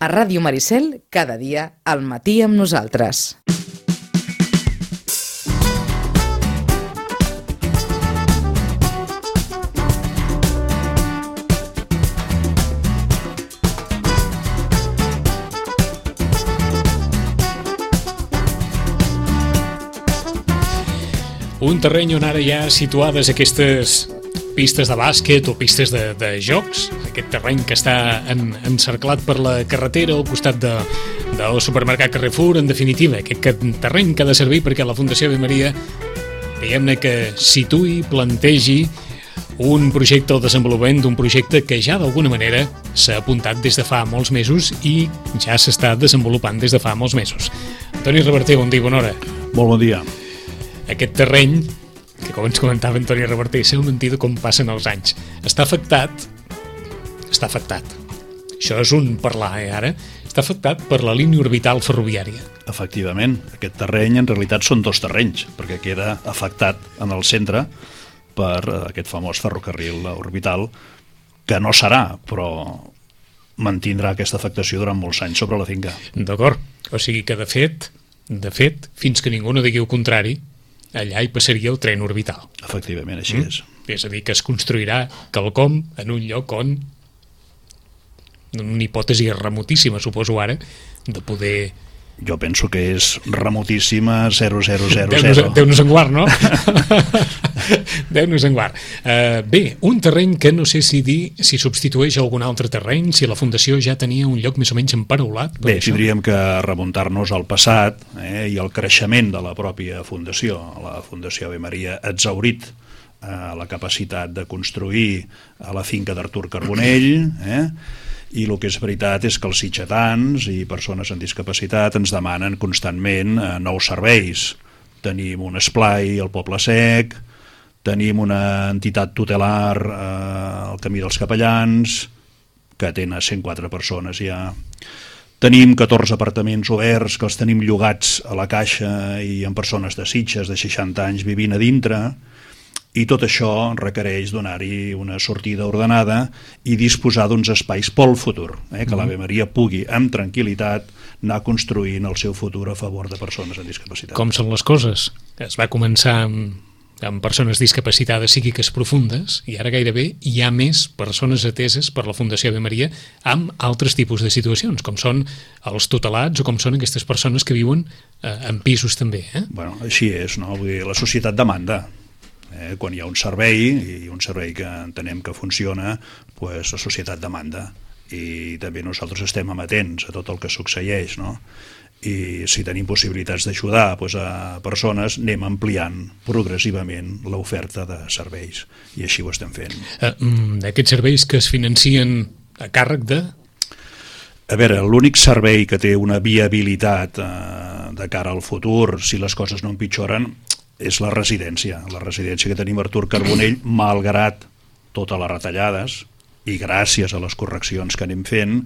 A Ràdio Maricel, cada dia al matí amb nosaltres. Un terreny on ara hi ha situades aquestes pistes de bàsquet o pistes de jocs, aquest terreny que està encerclat per la carretera al costat del supermercat Carrefour, en definitiva, aquest terreny que ha de servir perquè la Fundació Ave Maria, diguem-ne que situï, plantegi un projecte o desenvolupament d'un projecte que ja d'alguna manera s'ha apuntat des de fa molts mesos i ja s'està desenvolupant des de fa molts mesos. Antoni Reverter, bon dia, bona hora. Molt bon dia. Aquest terreny, que com ens comentava Antoni Reverter, sé mentida com passen els anys, està afectat. Això és un parlar, ara. Està afectat per la línia orbital ferroviària. Efectivament, aquest terreny en realitat són dos terrenys, perquè queda afectat en el centre per aquest famós ferrocarril orbital, que no serà, però mantindrà aquesta afectació durant molts anys sobre la finca. D'acord, o sigui que de fet, fins que ningú no digui el contrari, allà hi passaria el tren orbital. Efectivament, així és. És a dir, que es construirà quelcom en un lloc on, una hipòtesi remotíssima, suposo ara, de poder... Jo penso que és remotíssima 0000. Déu-nos en guard, no? Déu-nos en guard. Bé, un terreny que no sé si substitueix algun altre terreny, si la Fundació ja tenia un lloc més o menys emparaulat. Bé, tindríem que remuntar-nos al passat i al creixement de la pròpia Fundació. La Fundació Ave Maria ha exhaurit la capacitat de construir a la finca d'Artur Carbonell, i el que és veritat és que els sitgetans i persones amb discapacitat ens demanen constantment nous serveis. Tenim un esplai al Poble Sec, tenim una entitat tutelar al Camí dels Capellans, que atén a 104 persones ja. Tenim 14 apartaments oberts que els tenim llogats a la Caixa i amb persones de Sitges de 60 anys vivint a dintre, i tot això requereix donar-hi una sortida ordenada i disposar d'uns espais pel futur, que l'Ave Maria pugui amb tranquil·litat anar construint el seu futur a favor de persones amb discapacitat. Com són les coses? Es va començar amb persones discapacitades psíquiques profundes i ara gairebé hi ha més persones ateses per la Fundació Ave Maria amb altres tipus de situacions, com són els tutelats o com són aquestes persones que viuen en pisos també. Bueno, així és, no? Vull dir, la societat demanda. Quan hi ha un servei, i un servei que entenem que funciona, doncs la societat demanda, i també nosaltres estem amatents a tot el que succeeix, no? I si tenim possibilitats d'ajudar a persones, anem ampliant progressivament l'oferta de serveis, i així ho estem fent. D'aquests serveis que es financien a càrrec de... A veure, l'únic servei que té una viabilitat de cara al futur, si les coses no empitjoren, és la residència que tenim a Artur Carbonell, malgrat totes les retallades i gràcies a les correccions que anem fent,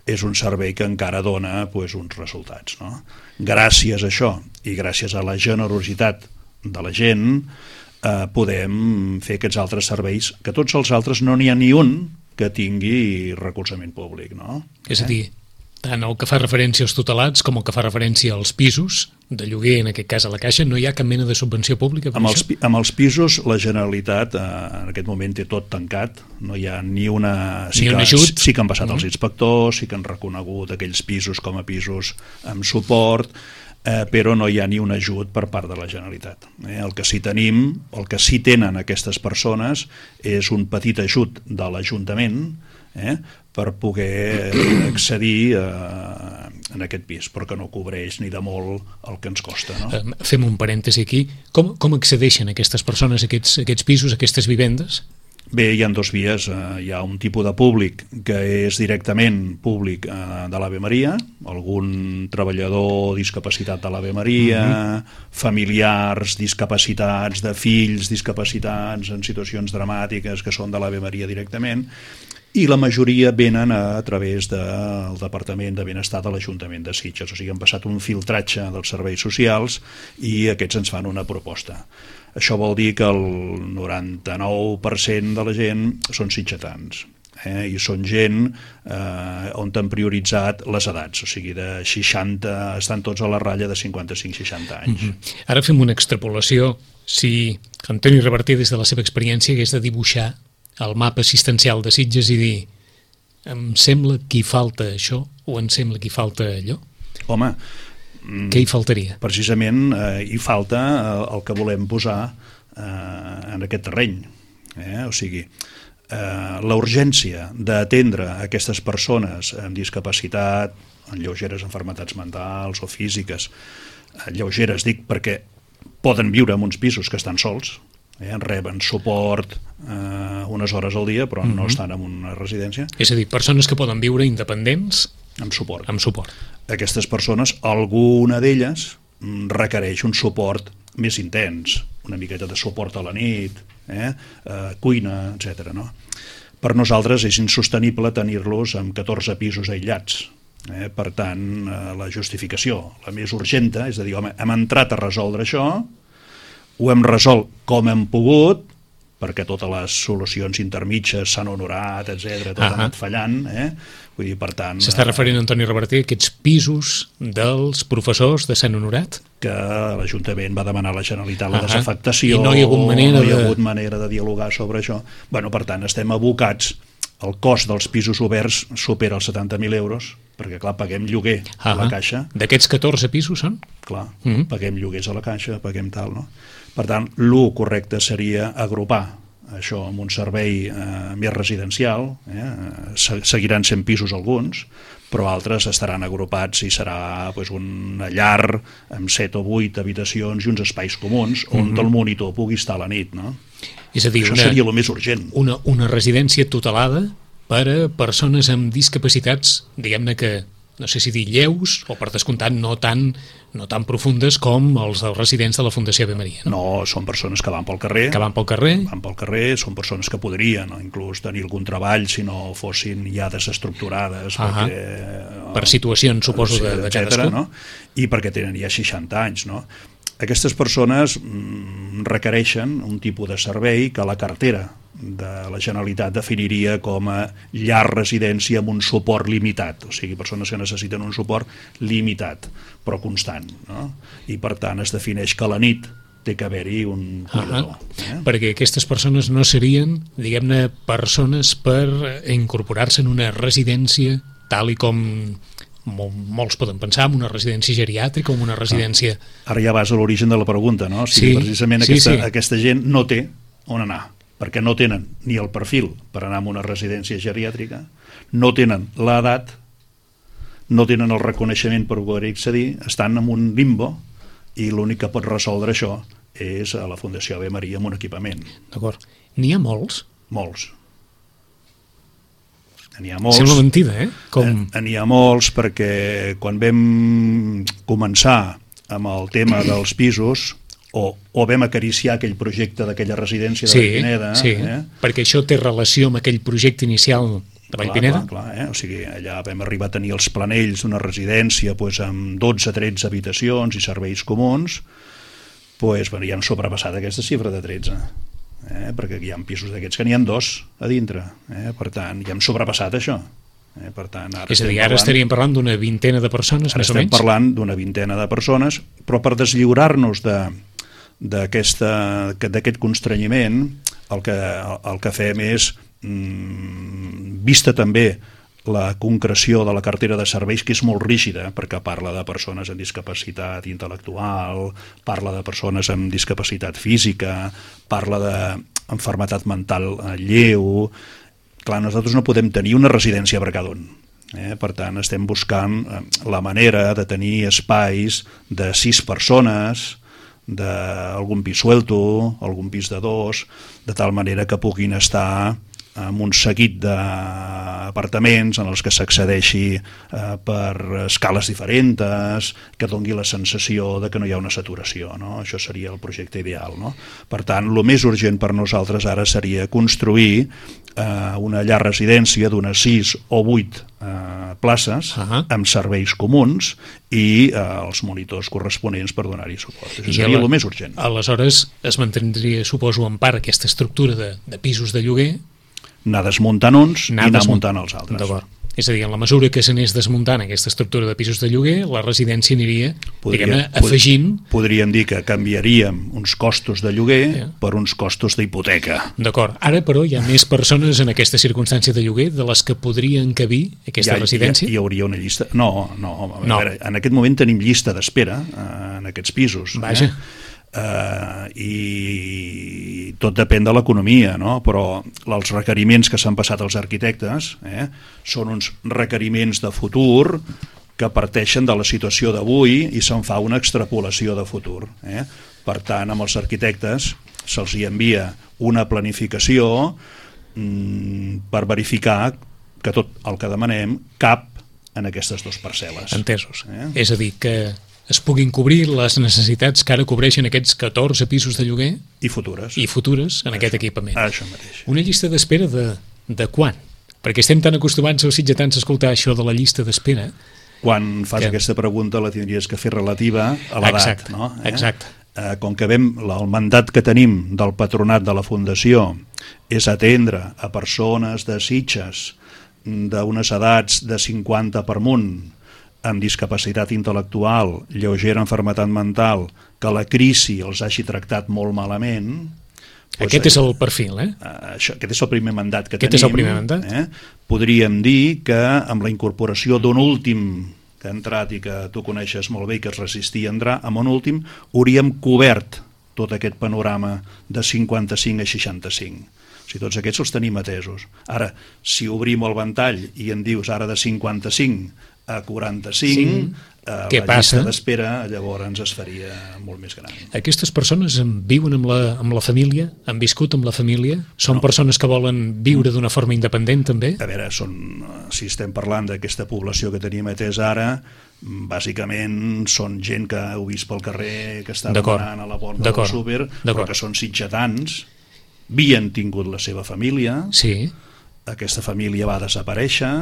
és un servei que encara dona uns resultats, no? Gràcies a això i gràcies a la generositat de la gent podem fer aquests altres serveis, que tots els altres no n'hi ha ni un que tingui recolzament públic, no? És a dir, tant el que fa referència als tutelats com el que fa referència als pisos de lloguer, en aquest cas a la Caixa, no hi ha cap mena de subvenció pública per això? Amb els pisos la Generalitat en aquest moment té tot tancat, no hi ha ni una... Sí que han passat els inspectors, sí que han reconegut aquells pisos com a pisos amb suport, però no hi ha ni un ajut per part de la Generalitat. El que sí tenim, el que sí tenen aquestes persones és un petit ajut de l'Ajuntament per poder accedir en aquest pis, però que no cobreix ni de molt el que ens costa, no? Fem un parèntesi aquí. Com accedeixen aquestes persones a aquests pisos, a aquestes vivendes? Bé, hi ha dues vies. Hi ha un tipus de públic que és directament públic de l'Ave Maria, algun treballador discapacitat de l'Ave Maria, familiars discapacitats, de fills discapacitats en situacions dramàtiques que són de l'Ave Maria directament, i la majoria venen a través del Departament de Benestar de l'Ajuntament de Sitges. O sigui, han passat un filtratge dels serveis socials i aquests ens fan una proposta. Això vol dir que el 99% de la gent són sitgetans. I són gent on han prioritzat les edats, o sigui, de 60, estan tots a la ratlla de 55-60 anys. Ara fem una extrapolació. Si Antoni Reverter, des de la seva experiència, hagués de dibuixar el mapa assistencial de Sitges i dir em sembla que hi falta això o em sembla que hi falta allò, Home, què hi faltaria? precisament hi falta el que volem posar en aquest terreny. O sigui, la urgència d'atendre aquestes persones amb discapacitat, amb lleugeres malalties mentals o físiques, lleugeres dic perquè poden viure en uns pisos que estan sols, reben suport unes hores al dia, però no estan en una residència. És a dir, persones que poden viure independents Amb suport. amb suport. Aquestes persones, alguna d'elles requereix un suport més intens, una miqueta de suport a la nit, cuina, etc. No? Per nosaltres és insostenible tenir-los amb 14 pisos aïllats. Per tant, la justificació, la més urgenta, és a dir, home, hem entrat a resoldre això, ho hem resolt com hem pogut, perquè totes les solucions intermitges s'han honorat, etc., tot ha anat fallant. Vull dir, per tant... S'està referint, Antoni Reverter, a aquests pisos dels professors de Sant Honorat? Que l'Ajuntament va demanar a la Generalitat la desafectació, i no hi ha hagut manera de dialogar sobre això. Bueno, per tant, estem abocats, el cost dels pisos oberts supera els 70.000 euros, perquè, clar, paguem lloguer a la Caixa. D'aquests 14 pisos són? Clar, paguem lloguers a la Caixa, paguem tal, no? Per tant, el correcte seria agrupar això amb un servei més residencial, seguiran sent pisos alguns, però altres estaran agrupats i serà una llar amb 7 o 8 habitacions i uns espais comuns on el monitor pugui estar a la nit, no? És a dir, això seria el més urgent. Una residència tutelada per a persones amb discapacitats, diguem-ne que, no sé si dir lleus, o per descomptat no tan profundes com els dels residents de la Fundació Ave Maria. No, són persones que van pel carrer. Van pel carrer, són persones que podrien inclús tenir algun treball si no fossin ja desestructurades. Per situacions, suposo, de cadascú. No? I perquè tenen ja 60 anys, no? Aquestes persones requereixen un tipus de servei que la cartera de la Generalitat definiria com a llar residència amb un suport limitat, o sigui, persones que necessiten un suport limitat, però constant, no? I per tant es defineix que a la nit té que haver-hi un cuidador. Perquè aquestes persones no serien, diguem-ne, persones per incorporar-se en una residència tal i com molts poden pensar, en una residència geriàtrica o en una residència... Ara ja vas a l'origen de la pregunta, no? O sigui, precisament aquesta gent no té on anar, perquè no tenen ni el perfil per anar a una residència geriàtrica, no tenen l'edat, no tenen el reconeixement per poder accedir, estan en un limbo i l'únic que pot resoldre això és a la Fundació Ave Maria amb un equipament. D'acord. N'hi ha molts? Molts. N'hi ha molts. Sembla mentida, N'hi ha molts perquè quan vam començar amb el tema dels pisos o vam acariciar aquell projecte d'aquella residència de Vallpineda... Sí, perquè això té relació amb aquell projecte inicial de Vallpineda? Clar, o sigui, allà vam arribar a tenir els planells d'una residència amb 12-13 habitacions i serveis comuns, i hem sobrepassat aquesta xifra de 13. Perquè hi ha pisos d'aquests que n'hi ha 2 a dintre, per tant, ja hem sobrepassat això. Per tant, és a dir, ara estaríem parlant d'una vintena de persones, més o menys? Estem parlant d'una vintena de persones, però per deslliurar-nos d'aquest constrenyiment, el que fem és, vista també la concreció de la cartera de serveis, que és molt rígida, perquè parla de persones amb discapacitat intel·lectual, parla de persones amb discapacitat física, parla d'enfermetat mental lleu. Clar, nosaltres no podem tenir una residència per cada un. Per tant, estem buscant la manera de tenir espais de 6 persones, d'algun pis suelto, algun pis de 2, de tal manera que puguin estar amb un seguit d'apartaments en els que s'accedeixi per escales diferents, que doni la sensació de que no hi ha una saturació, no? Això seria el projecte ideal, no? Per tant, el més urgent per nosaltres ara seria construir una llar residència d'unes 6 o 8 places amb serveis comuns i els monitors corresponents per donar-hi suport. Això seria el més urgent. Aleshores es mantindria, suposo, en part aquesta estructura de pisos de lloguer, anar desmuntant uns i anar muntant els altres. D'acord. És a dir, en la mesura que s'anés desmuntant aquesta estructura de pisos de lloguer, la residència aniria, diguem-ne, afegint... Podríem dir que canviaríem uns costos de lloguer per uns costos d'hipoteca. D'acord. Ara, però, hi ha més persones en aquesta circumstància de lloguer de les que podrien encabir aquesta residència? Hi hauria una llista... No. A veure, en aquest moment tenim llista d'espera en aquests pisos. Vaja. I tot depèn de l'economia, no? Però els requeriments que s'han passat als arquitectes són uns requeriments de futur que parteixen de la situació d'avui i se'n fa una extrapolació de futur. Per tant, amb els arquitectes se'ls hi envia una planificació per verificar que tot el que demanem cap en aquestes dues parcel·les. Entesos. És a dir, que es puguin cobrir les necessitats que ara cobreixen aquests 14 pisos de lloguer i futures en aquest equipament. Això mateix. Una llista d'espera de quan? Perquè estem tan acostumats als sitgetans a escoltar això de la llista d'espera. Quan fas aquesta pregunta la tindries que fer relativa a l'edat. No? Exacte. Com que el mandat que tenim del patronat de la Fundació és atendre a persones de Sitges d'unes edats de 50 per amunt, amb discapacitat intel·lectual, lleugera malaltia mental, que la crisi els hagi tractat molt malament... Aquest és el perfil, Aquest és el primer mandat que tenim. Aquest és el primer mandat. Podríem dir que amb la incorporació d'un últim que ha entrat i que tu coneixes molt bé i que es resistia a entrar, amb un últim hauríem cobert tot aquest panorama de 55 a 65. O sigui, tots aquests els tenim atesos. Ara, si obrim el ventall i en dius ara de 55 a 45, la llista d'espera llavors es faria molt més gran. Aquestes persones viuen amb la família? Han viscut amb la família? Són persones que volen viure d'una forma independent també? A veure, si estem parlant d'aquesta població que tenim atesa ara, bàsicament són gent que heu vist pel carrer, que està demanant a la porta del súper, però que són sitgetans, havien tingut la seva família, aquesta família va desaparèixer,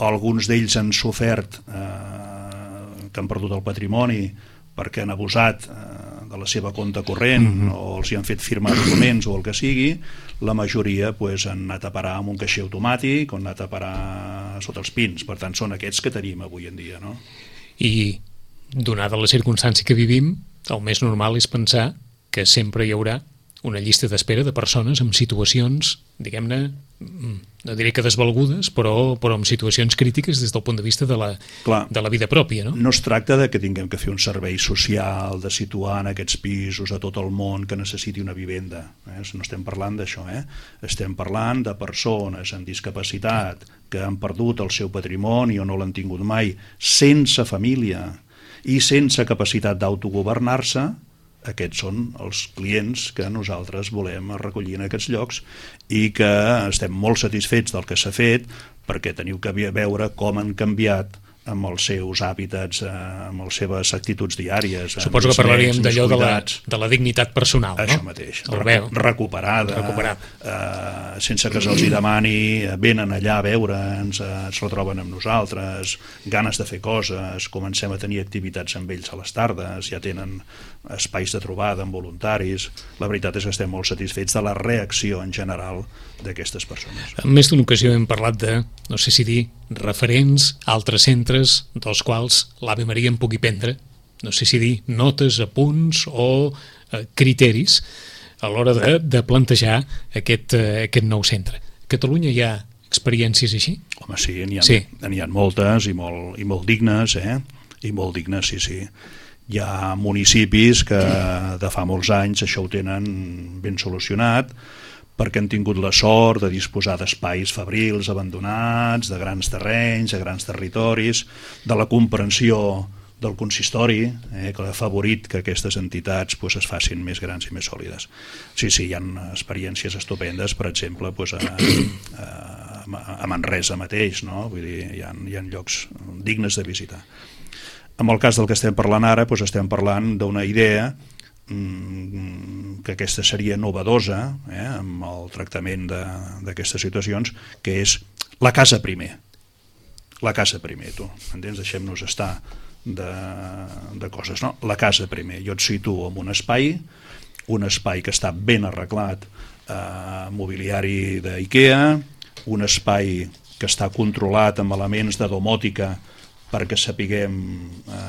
alguns d'ells han sofert que han perdut el patrimoni perquè han abusat de la seva compte corrent o els hi han fet firmar documents o el que sigui. La majoria han anat a parar amb un caixer automàtic o han anat a parar sota els pins. Per tant, són aquests que tenim avui en dia, no? I donada la circumstància que vivim, el més normal és pensar que sempre hi haurà una llista d'espera de persones amb situacions, diguem-ne, no diré que desvalgudes, però amb situacions crítiques des del punt de vista de la vida pròpia, no? No es tracta de que tinguem que fer un servei social, de situar en aquests pisos a tot el món que necessiti una vivenda. No estem parlant d'això, Estem parlant de persones amb discapacitat que han perdut el seu patrimoni o no l'han tingut mai, sense família i sense capacitat d'autogovernar-se. Aquests són els clients que nosaltres volem recollir en aquests llocs i que estem molt satisfets del que s'ha fet, perquè teniu que veure com han canviat amb els seus hàbitats, amb les seves actituds diàries. Suposo que parlaríem d'allò de la dignitat personal, no? Això mateix, recuperada. Sense que se'ls demani, venen allà a veure'ns, es retroben amb nosaltres, ganes de fer coses, comencem a tenir activitats amb ells a les tardes, ja tenen espais de trobada amb voluntaris. La veritat és que estem molt satisfets de la reacció en general d'aquestes persones. En més d'una ocasió hem parlat de, no sé si dir, referents, altres centres dels quals l'Ave Maria en pugui prendre, no sé si dir, notes, apunts o criteris a l'hora de plantejar aquest nou centre. A Catalunya hi ha experiències així? Home, sí, n'hi ha moltes i molt dignes, i molt dignes, sí. Hi ha municipis que de fa molts anys això ho tenen ben solucionat, perquè han tingut la sort de disposar d'espais fabrils abandonats, de grans terrenys, de grans territoris, de la comprensió del consistori, que ha afavorit que aquestes entitats es facin més grans i més sòlides. Sí, hi ha experiències estupendes, per exemple, a Manresa mateix, no? Vull dir, hi ha llocs dignes de visitar. En el cas del que estem parlant ara, estem parlant d'una idea que aquesta seria novedosa amb el tractament d'aquestes situacions, que és la casa primer. La casa primer, tu. Entens? Deixem-nos estar de coses, no? La casa primer. Jo et situo en un espai que està ben arreglat mobiliari d'IKEA, un espai que està controlat amb elements de domòtica perquè sapiguem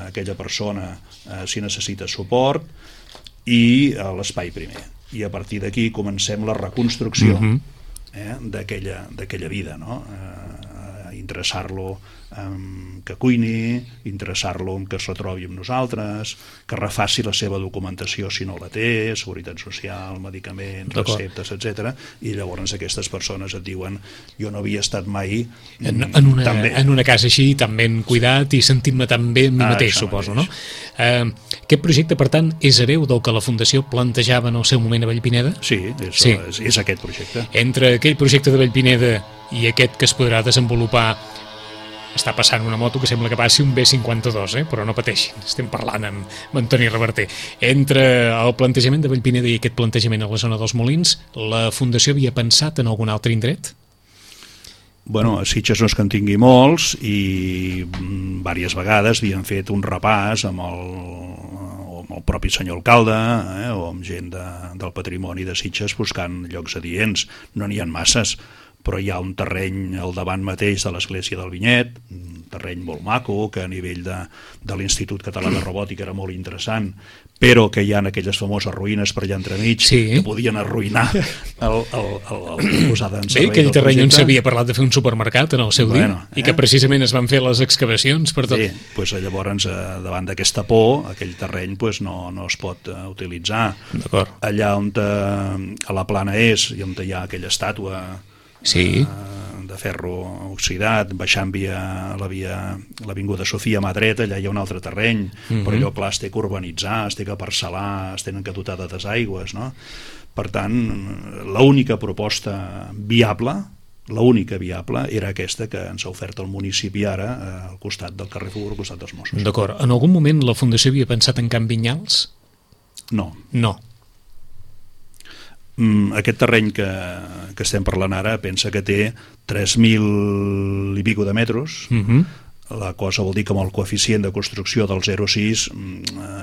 aquella persona si necessita suport, i l'espai primer. I a partir d'aquí comencem la reconstrucció d'aquella vida, no? Interessar-lo que cuini, interessar-lo que es retrobi amb nosaltres, que refaci la seva documentació si no la té, seguretat social, medicaments, receptes, etc. I llavors aquestes persones et diuen: jo no havia estat mai en una casa així, tan ben cuidat i sentint-me tan bé amb mi mateix, suposo, no? Aquest projecte, per tant, és hereu del que la Fundació plantejava en el seu moment a Vallpineda? Sí, és aquest projecte. Entre aquell projecte de Vallpineda i aquest que es podrà desenvolupar, està passant una moto que sembla que passi un B52, però no pateixin, estem parlant amb Antoni Reverter. Entre el plantejament de Vallpineda i aquest plantejament a la zona dels Molins, la Fundació havia pensat en algun altre indret? Bueno, a Sitges no és que en tingui molts, i diverses vegades havien fet un repàs amb el propi senyor alcalde o amb gent del patrimoni de Sitges buscant llocs adients. No n'hi ha masses, però hi ha un terreny al davant mateix de l'església del Vinyet, un terreny molt maco, que a nivell de l'Institut Català de Robòtica era molt interessant, però que hi ha aquelles famoses ruïnes per allà entremig que podien arruïnar el posada en servei. Bé, aquell terreny on s'havia parlat de fer un supermercat en el seu dia, i que precisament es van fer les excavacions per tot. Sí, doncs llavors davant d'aquesta por, aquell terreny no es pot utilitzar. Allà on a la plana és, i on hi ha aquella estàtua de ferro oxidat, baixant via l'avinguda Sofia mà dreta, allà hi ha un altre terreny, però allò, clar, es té que urbanitzar, es té que parcel·lar, es tenen que dotar de desaigües, no? Per tant, l'única proposta viable era aquesta que ens ha ofert el municipi ara al costat del Carrefour, al costat dels Mossos. D'acord. En algun moment la Fundació havia pensat en Can Vinyals? No. No. Aquest terreny que estem parlant ara pensa que té 3.000 i pico de metres. La cosa vol dir que amb el coeficient de construcció del 0,6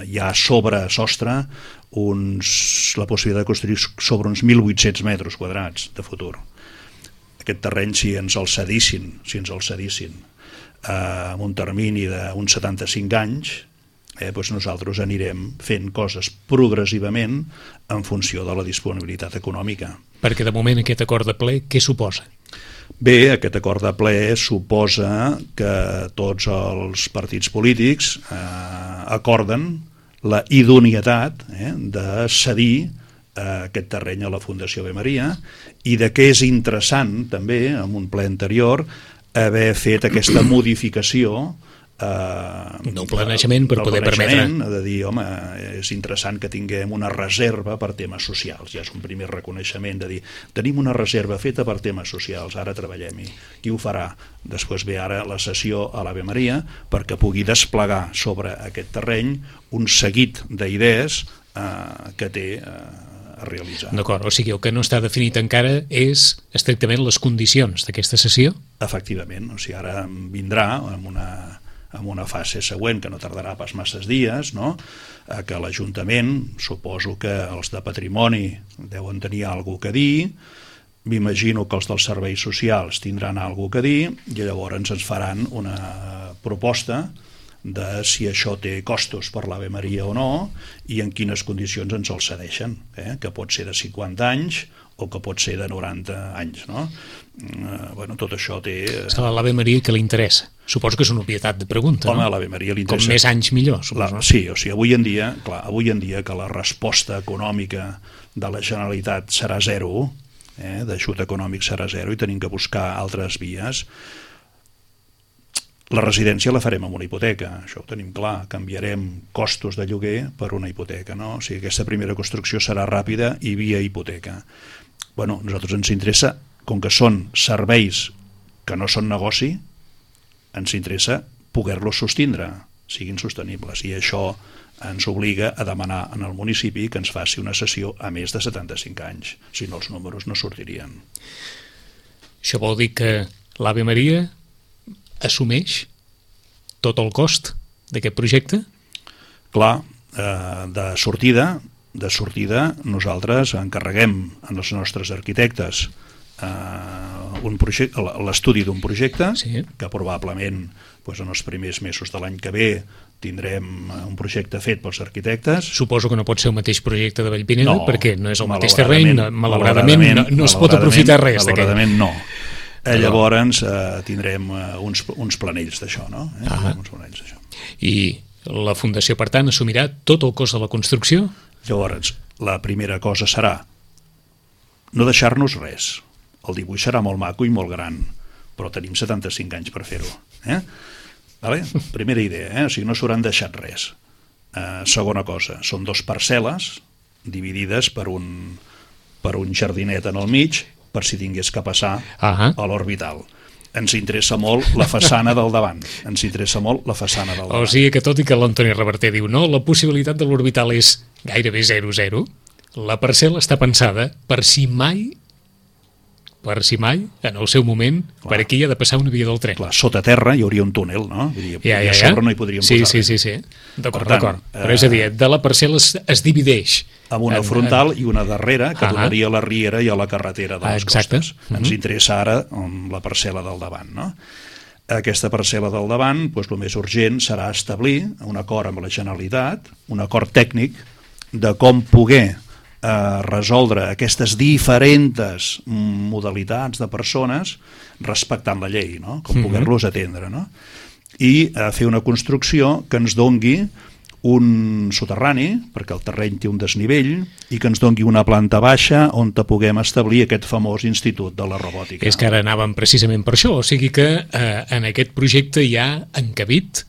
hi ha sobre sostre la possibilitat de construir sobre uns 1.800 metres quadrats de futur. Aquest terreny, si ens el cedissin amb un termini d'uns 75 anys, doncs nosaltres anirem fent coses progressivament en funció de la disponibilitat econòmica. Perquè de moment aquest acord de ple, què suposa? Bé, aquest acord de ple suposa que tots els partits polítics acorden la idoneïtat de cedir aquest terreny a la Fundació Ave Maria, i de què és interessant també, en un ple anterior, haver fet aquesta modificació del planejament per poder permetre, de dir, home, és interessant que tinguem una reserva per temes socials. Ja és un primer reconeixement de dir, tenim una reserva feta per temes socials, ara treballem-hi. Qui ho farà? Després ve ara la sessió a l'Ave Maria perquè pugui desplegar sobre aquest terreny un seguit d'idees que té a realitzar. D'acord, o sigui, el que no està definit encara és estrictament les condicions d'aquesta sessió? Efectivament, o sigui, ara vindrà amb una fase següent que no tardarà pas masses dies, no? Que l'Ajuntament, suposo que els de patrimoni deuen tenir alguna cosa a dir, m'imagino que els dels serveis socials tindran alguna cosa a dir, i llavors ens faran una proposta de si això té costos per l'Ave Maria o no, i en quines condicions ens el cedeixen, que pot ser de 50 anys o que pot ser de 90 anys, no? Bueno, tot això té... És a l'Ave Maria que li interessa. Suposo que és una obvietat de pregunta, home, no? a l'Ave Maria li interessa... Com més anys millor, suposo. Sí, o sigui, avui en dia que la resposta econòmica de la Generalitat serà zero, d'ajut econòmic serà zero, i tenim que buscar altres vies. La residència la farem amb una hipoteca, això ho tenim clar, canviarem costos de lloguer per una hipoteca, no? O sigui, aquesta primera construcció serà ràpida i via hipoteca. Bueno, a nosaltres ens interessa, com que són serveis que no són negoci, ens interessa poder-los sostindre, siguin sostenibles, i això ens obliga a demanar en el municipi que ens faci una cessió a més de 75 anys, si no els números no sortirien. Això vol dir que l'Ave Maria assumeix tot el cost d'aquest projecte? Clar, de sortida de sortida nosaltres encarreguem als nostres arquitectes l'estudi d'un projecte, sí, que probablement doncs, en els primers mesos de l'any que ve tindrem un projecte fet pels arquitectes. Suposo que no pot ser el mateix projecte de Vallpineda, perquè no és el mateix terreny, malauradament no es pot aprofitar res d'aquest. Malauradament no. Llavors tindrem uns planells d'això, no? Uns planells d'això. I la Fundació, per tant, assumirà tot el cost de la construcció? Llavors, la primera cosa serà no deixar-nos res. El dibuix serà molt maco i molt gran, però tenim 75 anys per fer-ho. Vale? Primera idea, o sigui, no s'hauran deixat res. Segona cosa, són 2 parcel·les dividides per un jardinet en el mig, per si tingués que passar a l'orbital. Ens interessa molt la façana del davant. O sigui que tot i que l'Antoni Reverter diu no, la possibilitat de l'orbital és gairebé 0-0, la parcel·la està pensada per si mai, en el seu moment, per aquí ha de passar una via del tren. Clar, sota terra hi hauria un túnel, no? I a sobre no hi podríem posar res. Sí. D'acord. Però és a dir, de la parcel·la es divideix. Amb una frontal i una darrera que donaria a la riera i a la carretera de les costes. Ens interessa ara la parcel·la del davant, no? Aquesta parcel·la del davant, doncs, el més urgent serà establir un acord amb la Generalitat, un acord tècnic de com poder resoldre aquestes diferents modalitats de persones respectant la llei, no? Com poder-los atendre, no? I fer una construcció que ens dongui un soterrani, perquè el terreny té un desnivell, i que ens dongui una planta baixa on puguem establir aquest famós Institut de la Robòtica. És que ara anàvem precisament per això, o sigui que en aquest projecte hi ha encabit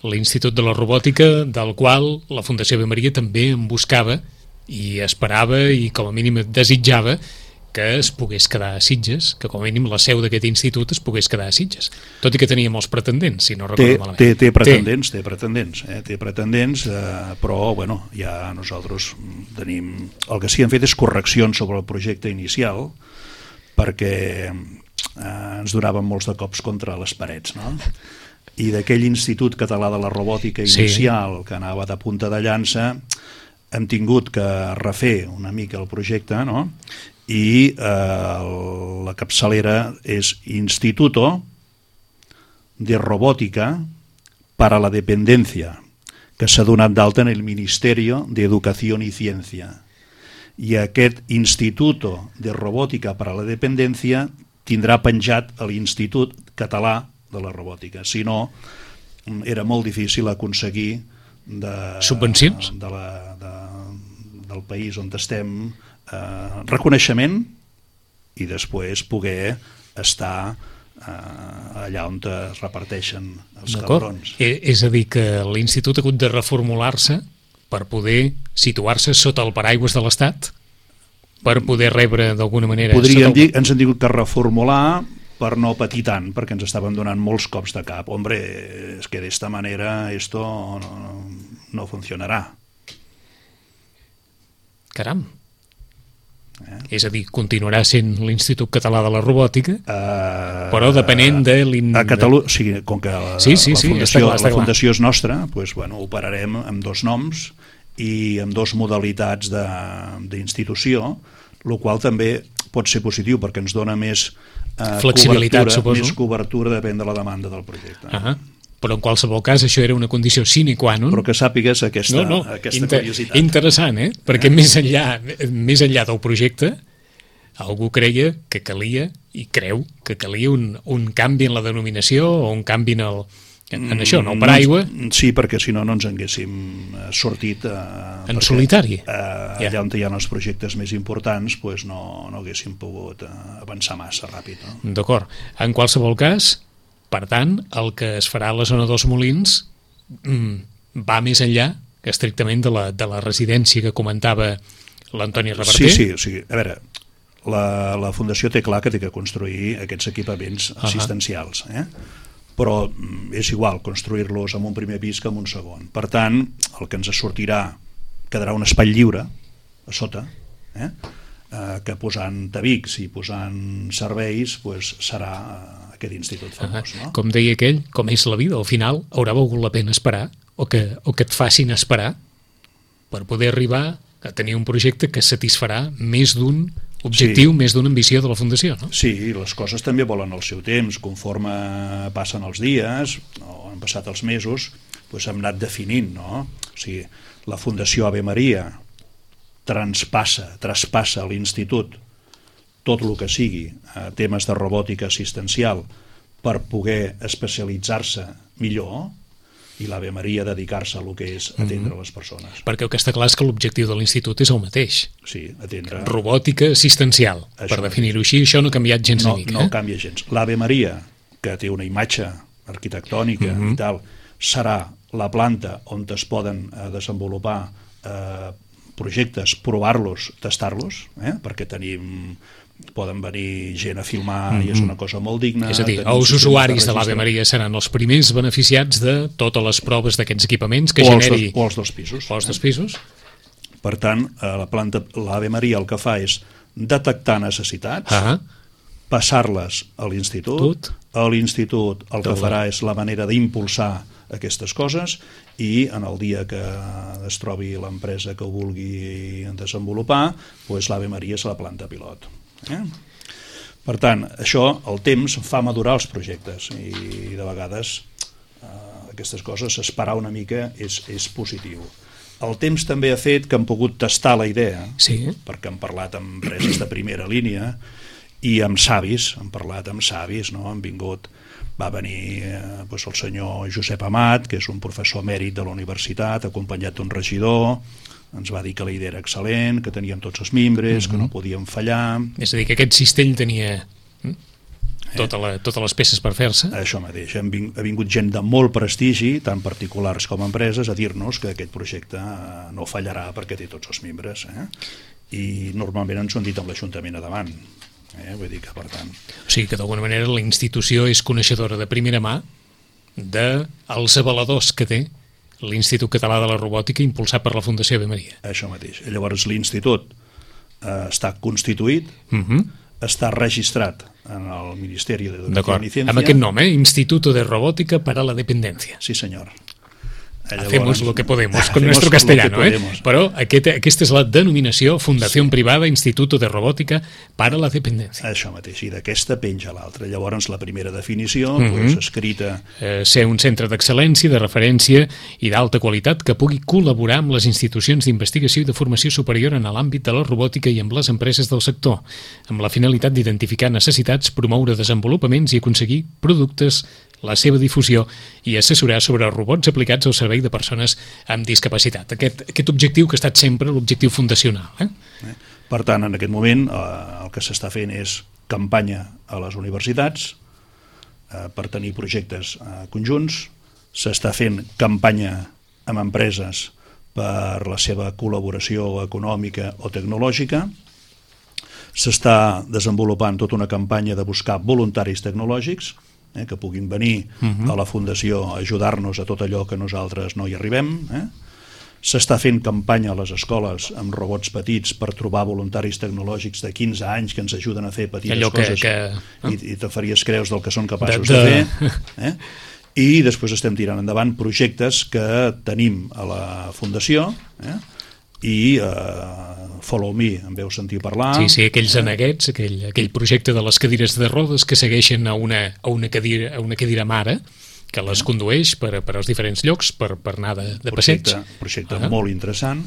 l'Institut de la Robòtica, del qual la Fundació Ave Maria també en buscava i esperava i com a mínim desitjava que es pogués quedar a Sitges, que com a mínim la seu d'aquest institut es pogués quedar a Sitges, tot i que tenia molts pretendents, si no recordo malament. Té pretendents, però bueno, ja nosaltres tenim... El que sí hem fet és correccions sobre el projecte inicial, perquè ens donaven molts de cops contra les parets, no? I d'aquell Institut Català de la Robòtica inicial, que anava de punta de llança, hem tingut que refer una mica el projecte, no? I la capçalera és Instituto de Robótica para la Dependencia, que s'ha donat d'alta en el Ministerio de Educación y Ciencia. I aquest Instituto de Robótica para la Dependencia tindrà penjat a l'Institut Català de la Robòtica. Si no, era molt difícil aconseguir subvencions del país on estem reconeixement i després poder estar allà on es reparteixen els cabrons. És a dir, que l'Institut ha hagut de reformular-se per poder situar-se sota el paraigües de l'Estat, per poder rebre d'alguna manera... Podríem dir, ens han tingut que reformular per no patir tant, perquè ens estaven donant molts cops de cap. Hombre, és que d'esta manera esto no funcionarà. Caram. És a dir, continuarà sent l'Institut Català de la Robòtica, però depenent de... A Catalunya, o sigui, com que la fundació és nostra, doncs, bueno, operarem amb 2 noms i amb 2 modalitats d'institució, el qual també pot ser positiu perquè ens dona més flexibilitat, suposo. Més cobertura depèn de la demanda del projecte. Però en qualsevol cas això era una condició sine qua non. Però que sàpigues aquesta curiositat. Interessant, perquè més enllà del projecte algú creia que calia i creu que calia un canvi en la denominació o un canvi en això, en el paraigua. Sí, perquè si no ens haguéssim sortit en solitari. Allà on hi ha els projectes més importants doncs no haguéssim pogut avançar massa ràpid. No? D'acord. En qualsevol cas, per tant, el que es farà a la zona dels Molins va més enllà estrictament de la residència que comentava l'Antoni Reverter. Sí, o sigui, a veure, la Fundació té clar que té que construir aquests equipaments assistencials, però és igual construir-los en un primer pis que en un segon. Per tant, el que ens sortirà quedarà un espai lliure a sota, que posant tabics i posant serveis serà aquest institut famós. No? Com deia aquell, com és la vida, al final haurà valgut la pena esperar o que et facin esperar per poder arribar a tenir un projecte que satisfarà més d'un objectiu, més d'una ambició de la Fundació, no? Sí, les coses també volen el seu temps. Conforme passen els dies, o han passat els mesos, doncs hem anat definint, no? O sigui, la Fundació Ave Maria traspassa a l'Institut tot el que sigui temes de robòtica assistencial per poder especialitzar-se millor, i l'Ave Maria dedicar-se a el que és atendre les persones. Perquè el que està clar és que l'objectiu de l'Institut és el mateix. Sí, atendre... Robòtica assistencial, per definir-ho així, això no ha canviat gens una mica. No canvia gens. L'Ave Maria, que té una imatge arquitectònica i tal, serà la planta on es poden desenvolupar projectes, provar-los, tastar-los, perquè poden venir gent a filmar i és una cosa molt digna. És a dir, els usuaris de l'Ave Maria seran els primers beneficiats de totes les proves d'aquests equipaments que generi... O els dos pisos. O els dos pisos. Per tant, l'Ave Maria el que fa és detectar necessitats, passar-les a l'Institut. A l'Institut el que farà és la manera d'impulsar aquestes coses, i en el dia que es trobi l'empresa que ho vulgui desenvolupar, doncs l'Ave Maria és la planta pilot. Per tant, això, el temps fa madurar els projectes, i de vegades aquestes coses, esperar una mica és positiu. El temps també ha fet que hem pogut tastar la idea, perquè hem parlat amb empreses de primera línia i amb savis, hem parlat amb savis, han vingut... Va venir el senyor Josep Amat, que és un professor emèrit de la universitat, acompanyat d'un regidor. Ens va dir que la idea era excel·lent, que teníem tots els membres, que no podíem fallar. És a dir, que aquest cistell tenia totes les peces per fer-se. Això mateix. Ha vingut gent de molt prestigi, tant particulars com empreses, a dir-nos que aquest projecte no fallarà perquè té tots els membres. I normalment ens ho han dit amb l'Ajuntament a davant. Vull dir que, per tant... O sigui que d'alguna manera la institució és coneixedora de primera mà dels avaladors que té l'Institut Català de la Robòtica impulsat per la Fundació Ave Maria. Això mateix. Llavors l'institut està constituït, està registrat en el Ministeri d'Educació i Ciència. Amb aquest nom, Instituto de Robótica para la Dependencia. Sí, senyor. Hacemos lo que podemos con nuestro castellano, però aquesta és la denominació Fundació Privada Instituto de Robòtica para la Dependencia. Això mateix, i d'aquesta penja l'altra. Llavors la primera definició, escrita... Ser un centre d'excel·lència, de referència i d'alta qualitat que pugui col·laborar amb les institucions d'investigació i de formació superior en l'àmbit de la robòtica i amb les empreses del sector, amb la finalitat d'identificar necessitats, promoure desenvolupaments i aconseguir productes, la seva difusió i assessorar sobre robots aplicats al servei de persones amb discapacitat. Aquest objectiu que ha estat sempre l'objectiu fundacional. Per tant, en aquest moment el que s'està fent és campanya a les universitats per tenir projectes conjunts, s'està fent campanya amb empreses per la seva col·laboració econòmica o tecnològica, s'està desenvolupant tota una campanya de buscar voluntaris tecnològics que puguin venir a la Fundació a ajudar-nos a tot allò que nosaltres no hi arribem. S'està fent campanya a les escoles amb robots petits per trobar voluntaris tecnològics de 15 anys que ens ajuden a fer petites coses i te faries creus del que són capaços de fer. I després estem tirant endavant projectes que tenim a la Fundació i Follow Me, em veu sentir parlar. Sí, aquells aneguets, aquell projecte de les cadires de rodes que segueixen a una cadira mare que les condueix per als diferents llocs per anar de passeig. Projecte molt interessant.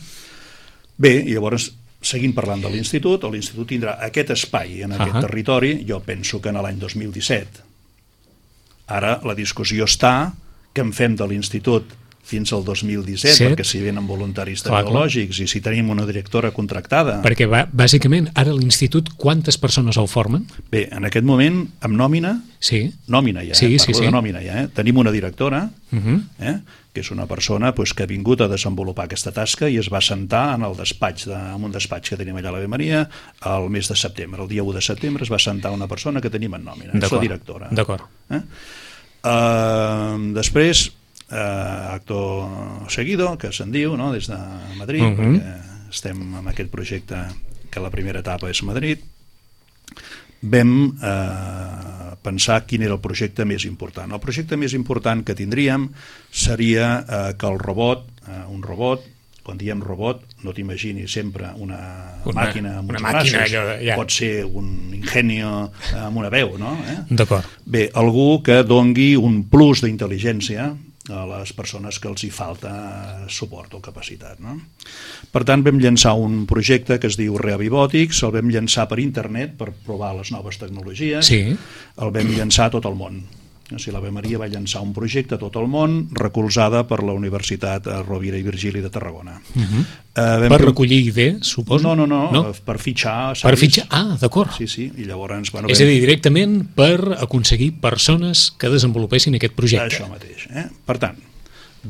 Bé, i llavors, seguint parlant de l'Institut, l'Institut tindrà aquest espai en aquest territori, jo penso que en l'any 2017. Ara la discussió està que en fem de l'Institut fins al 2017, perquè si venen voluntaris tecnològics i si tenim una directora contractada... Perquè, bàsicament, ara l'Institut, quantes persones el formen? Bé, en aquest moment, amb nòmina, nòmina ja, parlo de nòmina ja, tenim una directora, que és una persona que ha vingut a desenvolupar aquesta tasca i es va sentar en un despatx que tenim allà a l'Ave Maria el mes de setembre. El dia 1 de setembre es va sentar una persona que tenim en nòmina, és la directora. D'acord. Després, acto seguido, que se'n diu, des de Madrid, perquè estem en aquest projecte que la primera etapa és Madrid, vam pensar quin era el projecte més important. El projecte més important que tindríem seria que un robot Quan diem robot, no t'imagini sempre una màquina amb uns màquina, braços, allò, ja. pot ser un ingenio amb una veu, no? D'acord. Bé, algú que dongui un plus d'intel·ligència a les persones que els hi falta suport o capacitat, no? Per tant, vam llançar un projecte que es diu Reavibòtics, el vam llançar per internet per provar les noves tecnologies, Sí. El vam llançar a tot el món. O sigui, l'Ave Maria va llançar un projecte a tot el món, recolzada per la Universitat Rovira i Virgili de Tarragona. Per recollir idees, suposo? No, per fitxar savis. Per fitxar, d'acord. Sí, i llavors... Bueno, És a dir, directament per aconseguir persones que desenvolupessin aquest projecte. Això mateix. Per tant,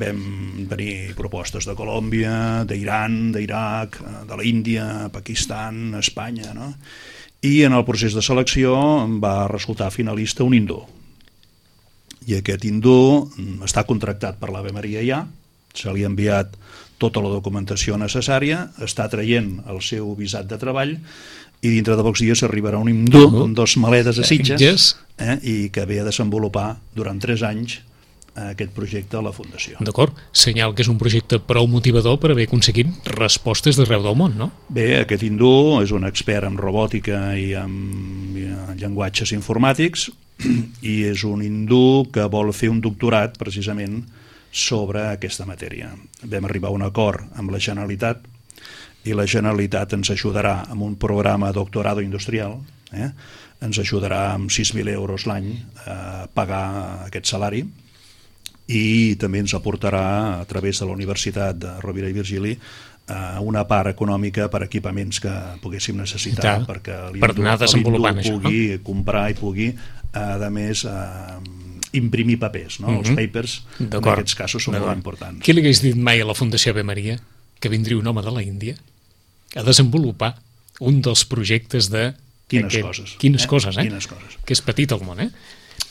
vam venir propostes de Colòmbia, d'Iran, d'Iraq, de l'Índia, Pakistan, Espanya, no? I en el procés de selecció va resultar finalista un hindú. I aquest hindú està contractat per l'Ave Maria ja, se li ha enviat tota la documentació necessària, està traient el seu visat de treball i dintre de pocs dies arribarà un hindú amb 2 maletes a Sitges i que ve a desenvolupar durant 3 anys aquest projecte a la Fundació. D'acord, senyal que és un projecte prou motivador per haver aconseguit respostes d'arreu del món, no? Bé, aquest hindú és un expert en robòtica i en llenguatges informàtics i és un hindú que vol fer un doctorat precisament sobre aquesta matèria. Vam arribar a un acord amb la Generalitat i la Generalitat ens ajudarà amb un programa doctorado industrial, ens ajudarà amb 6.000 euros l'any a pagar aquest salari i també ens aportarà a través de la Universitat de Rovira i Virgili una part econòmica per equipaments que poguéssim necessitar perquè l'hindú pugui comprar i pugui a més imprimir papers, no? Els papers en aquests casos són molt importants. Qui li hagués dit mai a la Fundació Ave Maria que vindria un home de la Índia a desenvolupar un dels projectes de... Quines coses. Quines coses. Que és petit el món,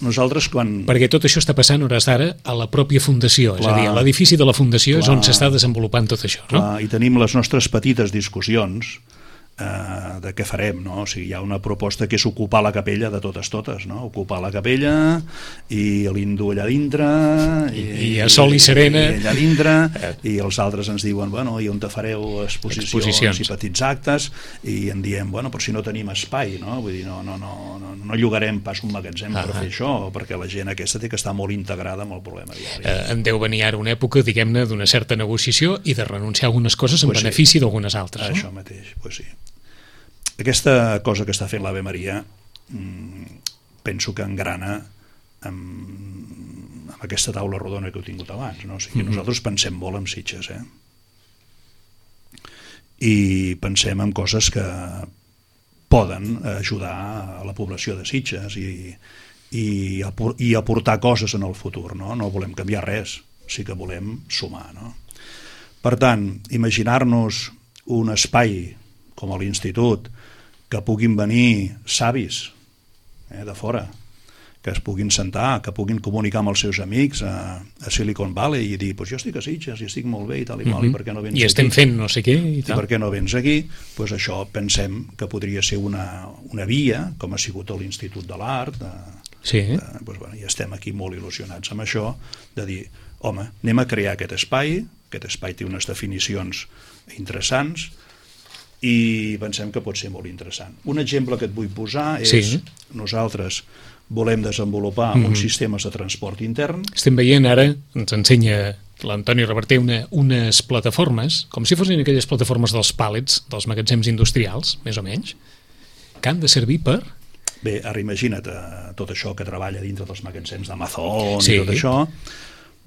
Nosaltres quan... Perquè tot això està passant hores d'ara a la pròpia Fundació, és a dir, a l'edifici de la Fundació és on s'està desenvolupant tot això, no? I tenim les nostres petites discussions de què farem, no? O sigui, hi ha una proposta que és ocupar la capella de totes, no? Ocupar la capella i l'hindú allà dintre i a sol i serena i allà dintre i els altres ens diuen, bueno, i on te fareu exposicions i petits actes i en diem, bueno, però si no tenim espai, no? Vull dir, no llogarem pas un magatzem per fer això, perquè la gent aquesta té que estar molt integrada amb el problema diari. En deu venir ara una època, diguem-ne, d'una certa negociació i de renunciar a algunes coses en benefici d'algunes altres, no? Això mateix, doncs sí. Aquesta cosa que està fent l'Ave Maria penso que engrana amb aquesta taula rodona que heu tingut abans, no? O sigui, nosaltres pensem molt en Sitges, i pensem en coses que poden ajudar a la població de Sitges i aportar coses en el futur, no? No volem canviar res, sí que volem sumar, no? Per tant, imaginar-nos un espai com a l'Institut, que puguin venir savis de fora, que es puguin sentar, que puguin comunicar amb els seus amics a Silicon Valley i dir, pues jo estic a Sitges i estic molt bé i tal i qual, i per què no vens aquí? I estem fent no sé què i tal. I per què no vens aquí? Pues això pensem que podria ser una via, com ha sigut a l'Institut de l'Art, i estem aquí molt il·lusionats amb això, de dir, home, anem a crear aquest espai té unes definicions interessants, i pensem que pot ser molt interessant. Un exemple que et vull posar és nosaltres volem desenvolupar uns sistemes de transport intern. Estem veient ara, ens ensenya l'Antoni Reverter unes plataformes, com si fossin aquelles plataformes dels pàlets, dels magatzems industrials, més o menys, que han de servir per... Bé, ara imagina't tot això que treballa dintre dels magatzems d'Amazon i tot això.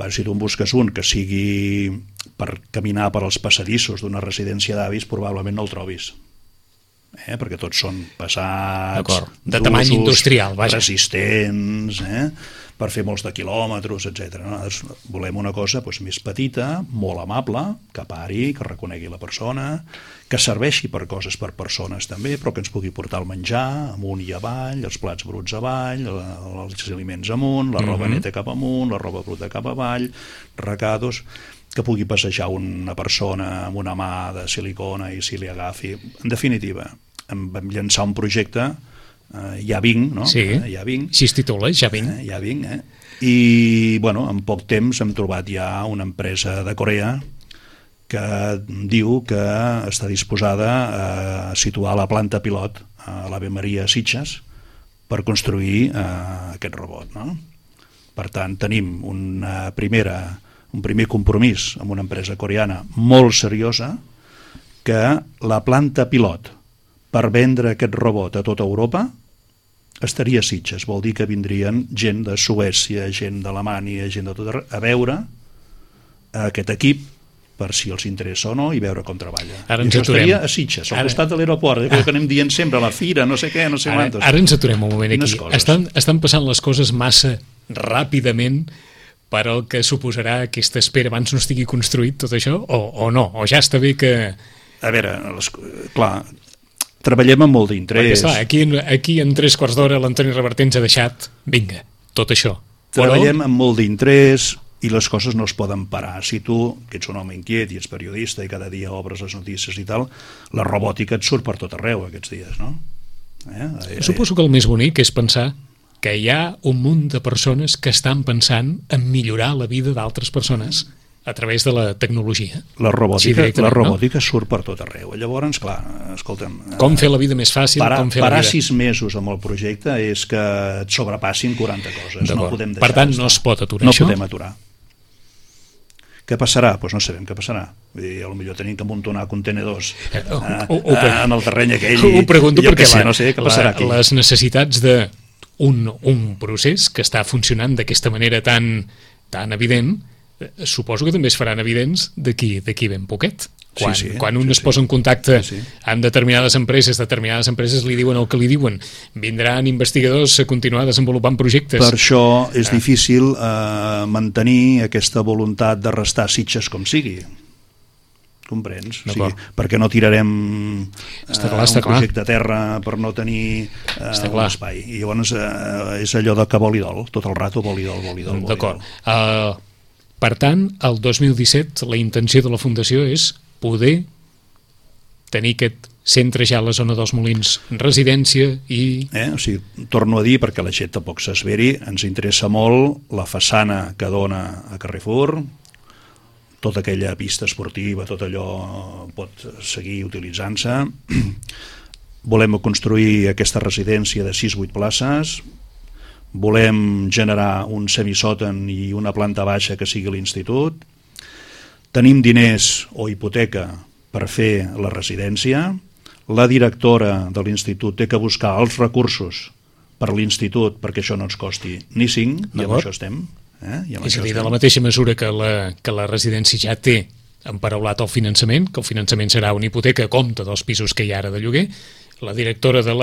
Si tu en busques un que sigui per caminar per als passadissos d'una residència d'avis, probablement no el trobis. Perquè tots són pesats, de tamany industrial, resistents, per fer molts de quilòmetres, etc. Nosaltres volem una cosa més petita, molt amable, que pari, que reconegui la persona, que serveixi per coses per persones també, però que ens pugui portar el menjar amunt i avall, els plats bruts avall, els aliments amunt, la roba neta cap amunt, la roba bruta cap avall, recados, que pugui passejar una persona amb una mà de silicona i si li agafi. En definitiva, vam llançar un projecte, ja vinc, no? Sí, ja vinc. així es titula, ja vinc. Ja vinc, I, en poc temps hem trobat ja una empresa de Corea que diu que està disposada a situar la planta pilot a l'Ave Maria Sitges per construir aquest robot, no? Per tant, tenim un primer compromís amb una empresa coreana molt seriosa, que la planta pilot per vendre aquest robot a tota Europa estaria a Sitges. Vol dir que vindrien gent de Suècia, gent d'Alemanya, gent de tot arreu, a veure aquest equip per si els interessa o no i veure com treballa. Ara I ens això aturem. estaria a Sitges, al costat de l'aeroport, que anem dient sempre, a la fira, no sé què, no sé quantos. Ara ens aturem un moment aquí. Estan passant les coses massa ràpidament per al que suposarà aquesta espera abans no estigui construït tot això, o no? O ja està bé que... A veure, clar, treballem amb molt d'interès. Perquè, clar, aquí en 3 quarts d'hora l'Antoni Reverter ens ha deixat, vinga, tot això. Treballem amb molt d'interès i les coses no es poden parar. Si tu, que ets un home inquiet i ets periodista i cada dia obres les notícies i tal, la robòtica et surt per tot arreu aquests dies, no? Suposo que el més bonic és pensar que hi ha un munt de persones que estan pensant en millorar la vida d'altres persones a través de la tecnologia. La robòtica surt per tot arreu. Llavors, clar, escolta'm... Com fer la vida més fàcil, com fer la vida... Parar 6 mesos amb el projecte és que et sobrepassin 40 coses. No podem deixar. Per tant, no es pot aturar això? No podem aturar. Què passarà? Doncs no sabem què passarà. Vull dir, potser tenim que amuntonar contenedors en el terreny aquell. Ho pregunto perquè les necessitats d'un procés que està funcionant d'aquesta manera tan evident, suposo que també es faran evidents d'aquí ben poquet. Quan un es posa en contacte amb determinades empreses li diuen el que li diuen. Vindran investigadors a continuar desenvolupant projectes. Per això és difícil mantenir aquesta voluntat de restar a Sitges com sigui. Comprens? O sigui, perquè no tirarem un projecte a terra per no tenir un espai. I llavors és allò de que vol i dol, tot el rato vol i dol. D'acord. Per tant, el 2017 la intenció de la Fundació és poder tenir aquest centre ja a la zona dels Molins, residència i... O sigui, torno a dir, perquè la gent tampoc s'esveri, ens interessa molt la façana que dona a Carrefour, tota aquella pista esportiva, tot allò pot seguir utilitzant-se. Volem construir aquesta residència de 6-8 places, volem generar un semisòtan i una planta baixa que sigui l'institut, tenim diners o hipoteca per fer la residència, la directora de l'institut té que buscar els recursos per l'institut perquè això no ens costi ni 5, i amb això estem. És a dir, de la mateixa mesura que la residència ja té emparaulat el finançament, que el finançament serà una hipoteca a compte dels pisos que hi ha ara de lloguer, la directora de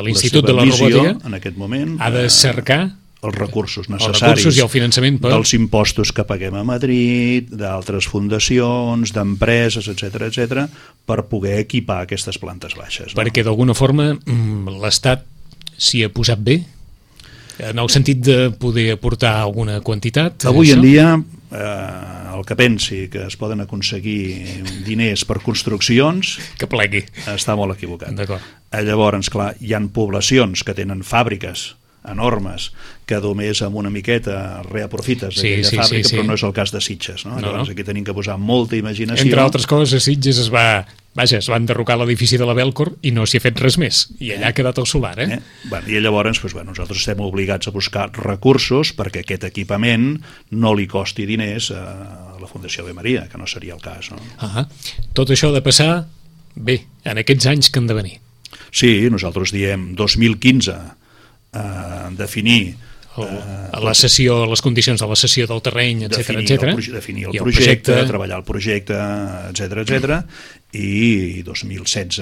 l'Institut de la Robòtica en aquest moment ha de cercar els recursos necessaris i el finançament dels impostos que paguem a Madrid, d'altres fundacions, d'empreses, etc, per poder equipar aquestes plantes baixes. Perquè d'alguna forma l'Estat s'hi ha posat bé, en el sentit de poder aportar alguna quantitat. Avui en dia el que pensi que es poden aconseguir diners per construccions que plegui, està molt equivocat. Llavors, clar, hi ha poblacions que tenen fàbriques enormes que només amb una miqueta reaprofites aquella fàbrica, però no és el cas de Sitges, no? Llavors aquí tenim que posar molta imaginació. Entre altres coses, a Sitges es va enderrocar l'edifici de la Belcor i no s'hi ha fet res més, i allà ha quedat el solar. I llavors nosaltres estem obligats a buscar recursos perquè aquest equipament no li costi diners a la Fundació Ave Maria, que no seria el cas. Tot això ha de passar bé, en aquests anys que han de venir. Sí, nosaltres diem 2015 definir la sessió, les condicions de la cessió del terreny, etc. Definir el projecte, treballar el projecte, etc. I 2016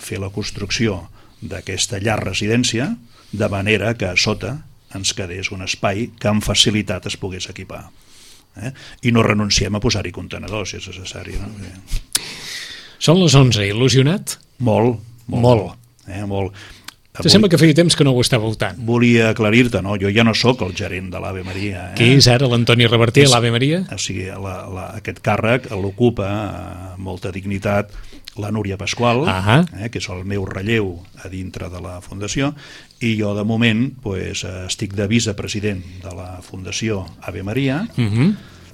fer la construcció d'aquesta llar residència de manera que a sota ens quedés un espai que amb facilitat es pogués equipar. I no renunciem a posar-hi contenedors si és necessari. Són les 11, il·lusionat? Molt. Te sembla que feia temps que no ho estava votant? Volia aclarir-te, no? Jo ja no sóc el gerent de l'Ave Maria. Qui és ara l'Antoni Reverter a l'Ave Maria? O sigui, aquest càrrec l'ocupa amb molta dignitat la Núria Pasqual, que és el meu relleu a dintre de la Fundació, i jo de moment estic de vicepresident de la Fundació Ave Maria,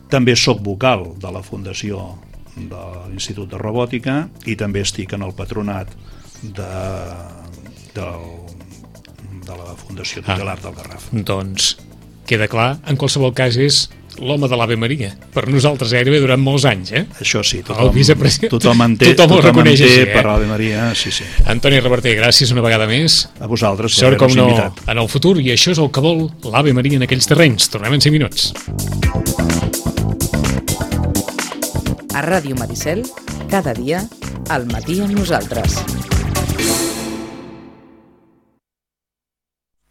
també soc vocal de la Fundació de l'Institut de Robòtica i també estic en el patronat de la Fundació Tutelar del Garraf. Doncs queda clar, en qualsevol cas és l'home de l'Ave Maria, per nosaltres gairebé durant molts anys, Això sí, tothom entén per l'Ave Maria, sí. Antoni Reverter, gràcies una vegada més. A vosaltres per haver-nos invitat. En el futur, i això és el que vol l'Ave Maria en aquells terrenys. Tornem en 5 minuts. A Ràdio Maricel, cada dia, al matí amb nosaltres.